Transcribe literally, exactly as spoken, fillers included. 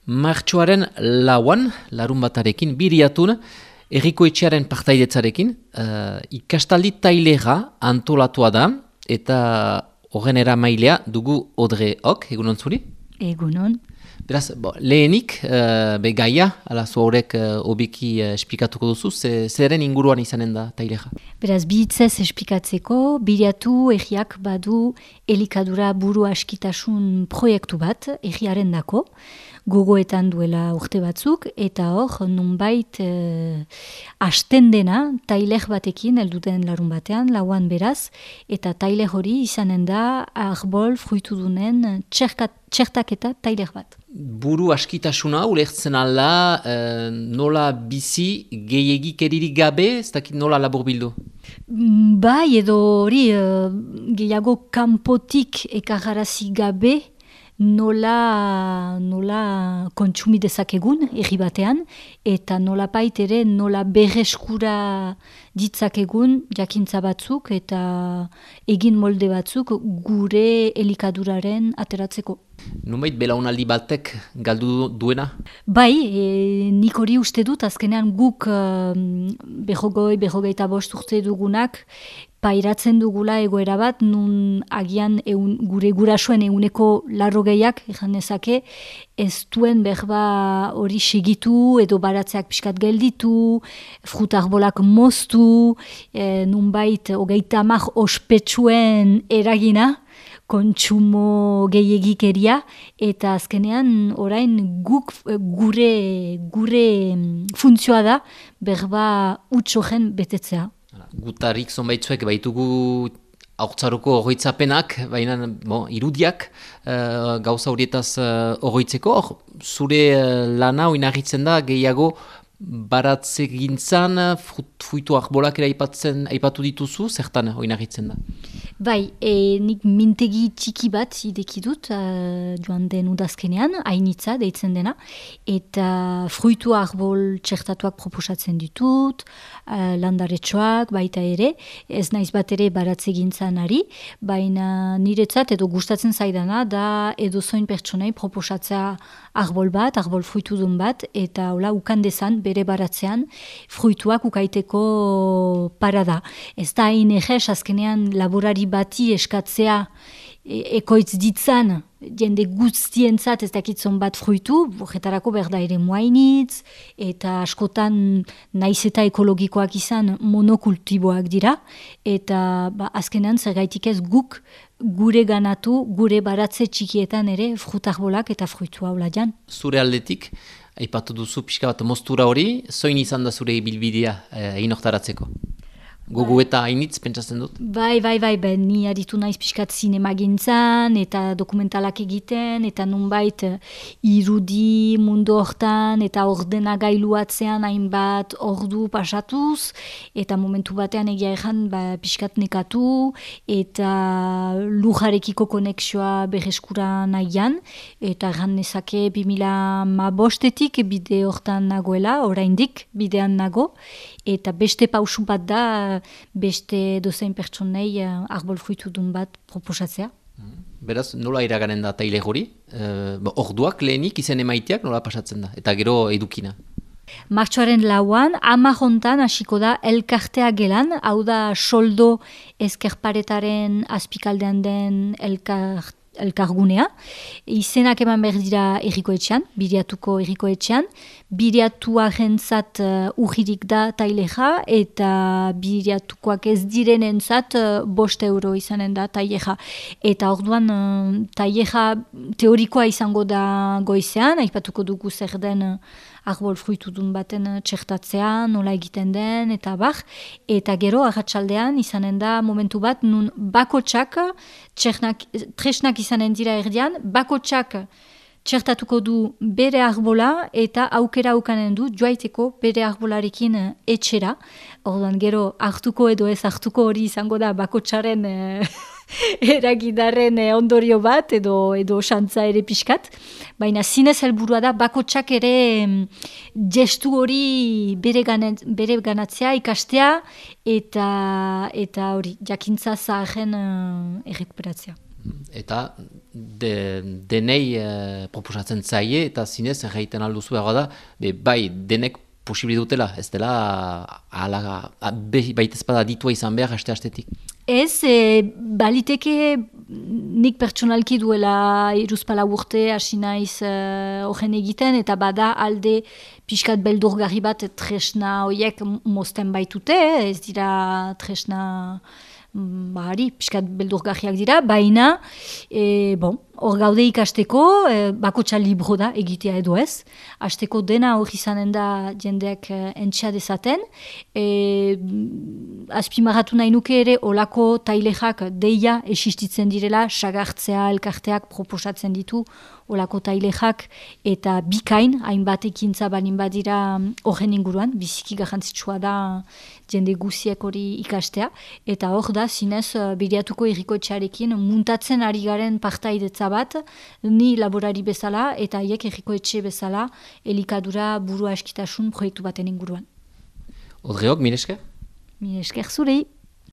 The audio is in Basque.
Martxoaren lauan, larun batarekin, biriatun, Erriko Etxearen partaidetzarekin, uh, ikastaldi tailera antolatua da, eta horren eramailea dugu Odre Ok, egunon zuri? Egunon. Beraz, bo, lehenik, uh, be gaia, ala zu horrek uh, obiki uh, esplikatuko duzu, ze, zeren inguruan izanen da tailera? Beraz, bihitzez esplikatzeko, biriatu erriak badu elikadura buru askitasun proiektu bat, erriaren dako, gogoetan duela urte batzuk, eta hor, nunbait eh, asten dena, tailer batekin, elduten larun batean, lauan beraz, eta tailer hori izanen da, arbol fruitudunen txertaketa tailer bat. Buru askitasuna, ulertzen ala, eh, nola bizi gehiagikeririk gabe, ez dakit nola labur bildu? Bai, edo hori, eh, gehiago kanpotik ekarrarazi gabe, nola, nola kontsumi dezakegun erri batean, eta nola pait ere nola berreskura ditzakegun jakintza batzuk eta egin molde batzuk gure elikaduraren ateratzeko. Nunbait belaunaldi batek galdu duena? Bai, e, nik hori uste dut, azkenean guk um, behogoi, behogeita bost urte dugunak, pairatzen dugula egoera bat, nun agian eun, gure gurasoen eguneko larrogeiak, ezan dezake, ez duen berba hori segitu, edo baratzeak pixkat gelditu, frutarbolak moztu, e, nunbait hogeita hamar ospetsuen eragina, kontsumo gehiegikeria, eta azkenean orain guk gure, gure funtzioa da berba utxogen betetzea. Gutarik zonbaitzuek baitugu haurtzaruko horroitzapenak, baina bon, irudiak uh, gauza horietaz horroitzeko, uh, zure uh, lana oinarritzen da gehiago baratze gintzan, fruitu arbolak ere aipatzen, aipatu dituzu, zertan oinarritzen da? Bai, e, nik mintegi txiki bat ideki dut uh, joan den udazkenean, hainitza deitzen dena, eta fruitu arbol txertatuak proposatzen ditut, uh, landaretxoak baita ere, ez naiz bat ere baratze gintzan ari, baina niretzat edo gustatzen zaidana da edo zoin pertsonei proposatzea arbol bat, arbol fruitudun bat, eta hola ukandezan bere baratzean fruituak ukaiteko parada. Ez da hain egez, azkenean laborari bati eskatzea e ekoitz ditzan, jende guztientzat ez dakitzon bat fruitu, horretarako berda ere muainitz, eta askotan naiz eta ekologikoak izan monokultiboak dira, eta ba, azkenean zergaitik ez guk gure ganatu, gure baratze txikietan ere frutarbolak eta fruitua hola jan. Zure aldetik, aipatu duzu pixka bat moztura hori, zoin izan da zure ibilbidea egin eh, oktaratzeko? Gogu eta hainitz, pentsatzen dut? Bai, bai, bai, bai, ni aritu naiz pixkat zinema gintzan, eta dokumentalak egiten, eta nunbait irudi mundu hortan, eta ordenagailuatzean hainbat ordu pasatuz, eta momentu batean egia ezan ba, pixkat nekatu, eta lujarekiko konexioa berreskura nahian, eta erran nezake bi mila hamabostetik bide hortan nagoela, oraindik bidean nago, eta beste pausu bat da, beste dozein pertsonei uh, arbol fruitudun bat proposatzea. Beraz, nola iraganen da taile hori? Uh, orduak lehenik izen emaiteak nola pasatzen da? Eta gero edukina? Martxoaren lauan, ama jontan hasiko da elkartea gelan, hau da soldo ezkerparetaren azpikaldean den elkart elkargunea. Izenak eman behar dira Erriko Etxean, biriatuko Erriko Etxean. Biriatua jentzat uh, ujirik da taileja, eta biriatukoak ez direnentzat uh, bost euro izanen da taileja. Eta orduan uh, taileja teorikoa izango da goizean, aipatuko dugu zer den uh, arbol fruitudun baten txertatzea, nola egiten den, eta bar. Eta gero, arratsaldean izanen da momentu bat, nun bakotsak, tresnak izanen dira erdian, bakotsak txertatuko du bere arbola, eta aukera aukanen du joaiteko bere arbolarekin etxera. Orduan gero, hartuko edo ez hartuko hori izango da bakotsaren eragidarren ondorio bat, edo edo xantza ere pixkat. Baina zinez helburua da, bakotsak ere gestu hori bere, ganet, bere ganatzea, ikastea, eta eta hori, jakintza zaharren uh, errekuperatzea. eta de, denei uh, proposatzen zaie, eta zinez, erraiten alduzu behar da, be, bai, denek posibili dutela, ez dela ala, baitezpada ditua izan behar haste-hastetik. Ez, e, baliteke nik pertsonalki duela iruzpala urte hasi naiz horren egiten, eta bada alde pixkat beldurgarri bat tresna horiek mozten baitute, ez dira tresna bahari, pixkat beldurgarriak dira, baina, e, bon, hor gaude ikasteko, e, bakotxa libro da egitea edo ez, hasteko dena hor izanen da jendeak e, entxea dezaten, e, azpimarratu nahi nuke ere olako tailexak deia existitzen direla, sagartzea elkarteak proposatzen ditu olako tailexak, eta bikain, hainbat ekintza balin badira horren inguruan, biziki garrantzitsua da jende guziek hori ikastea, eta hor da, zinez, biriatuko errikoetxearekin muntatzen ari garen partaidetza bat, ni laborari bezala eta haiek errikoetxe bezala elikadura burua eskitasun proiektu baten inguruan. Odreok, mire esker? Mire esker zurei.